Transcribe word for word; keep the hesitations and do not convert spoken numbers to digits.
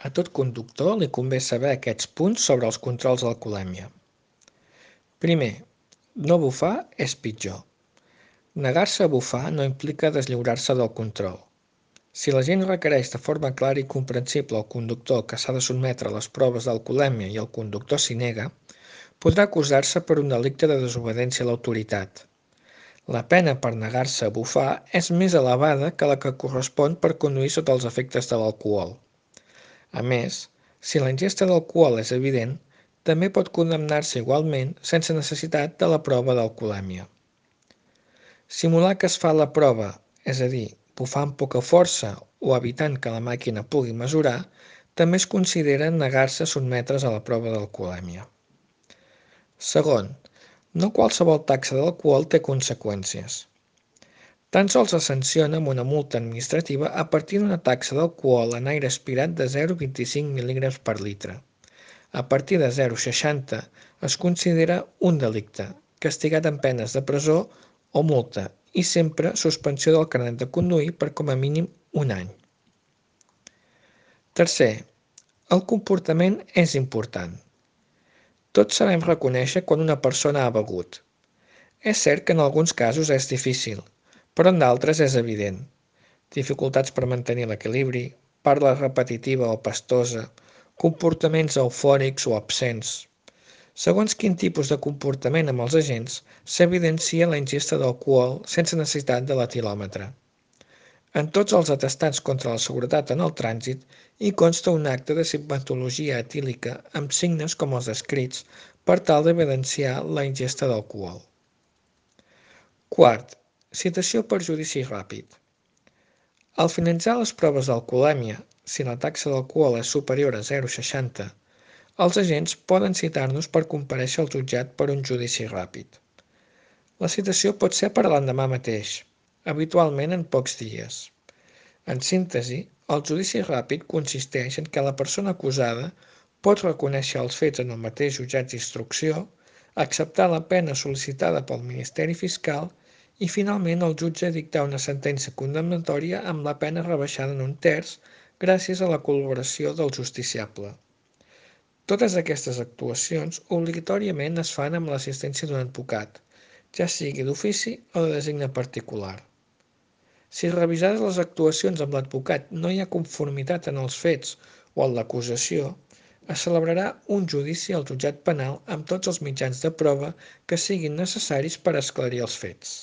A tot conductor li convé saber aquests punts sobre els controls d'alcoholèmia. Primer, no bufar és pitjor. Negar-se a bufar no implica deslliurar-se del control. Si l'agent requereix de forma clara i comprensible al conductor que s'ha de sotmetre a les proves d'alcoholèmia i el conductor s'hi nega, podrà acusar-se per un delicte de desobediència a l'autoritat. La pena per negar-se a bufar és més elevada que la que correspon per conduir sota els efectes de l'alcohol. A més, si la ingesta d'alcohol és evident, també pot condemnar-se igualment sense necessitat de la prova d'alcoholèmia. Simular que es fa la prova, és a dir, bufar amb poca força o evitant que la màquina pugui mesurar, també es considera negar-se a sotmetre's a la prova d'alcoholèmia. Segon, no qualsevol taxa d'alcohol té conseqüències. Tan sols es sanciona amb una multa administrativa a partir d'una taxa d'alcohol en aire aspirat de zero coma vint-i-cinc mil·lígrams per litre. A partir de zero coma seixanta es considera un delicte, castigat amb penes de presó o multa i sempre suspensió del carnet de conduir per com a mínim un any. Tercer, el comportament és important. Tots sabem reconèixer quan una persona ha begut. És cert que en alguns casos és difícil, però en d'altres és evident. Dificultats per mantenir l'equilibri, parla repetitiva o pastosa, comportaments eufòrics o absents. Segons quin tipus de comportament amb els agents, s'evidencia la ingesta d'alcohol sense necessitat de l'etilòmetre. En tots els atestats contra la seguretat en el trànsit hi consta un acte de simptomatologia etílica amb signes com els descrits per tal d'evidenciar la ingesta d'alcohol. Quart, citació per judici ràpid. Al finalitzar les proves d'alcoholèmia, si la taxa d'alcohol és superior a zero coma seixanta, els agents poden citar-nos per comparèixer al jutjat per un judici ràpid. La citació pot ser per l'endemà mateix, habitualment en pocs dies. En síntesi, el judici ràpid consisteix en què la persona acusada pot reconèixer els fets en el mateix jutjat d'instrucció, acceptar la pena sol·licitada pel Ministeri Fiscal i finalment el jutge dictar una sentència condemnatòria amb la pena rebaixada en un terç gràcies a la col·laboració del justiciable. Totes aquestes actuacions obligatòriament es fan amb l'assistència d'un advocat, ja sigui d'ofici o de designe particular. Si revisades les actuacions amb l'advocat no hi ha conformitat en els fets o en l'acusació, es celebrarà un judici al jutjat penal amb tots els mitjans de prova que siguin necessaris per esclarir els fets.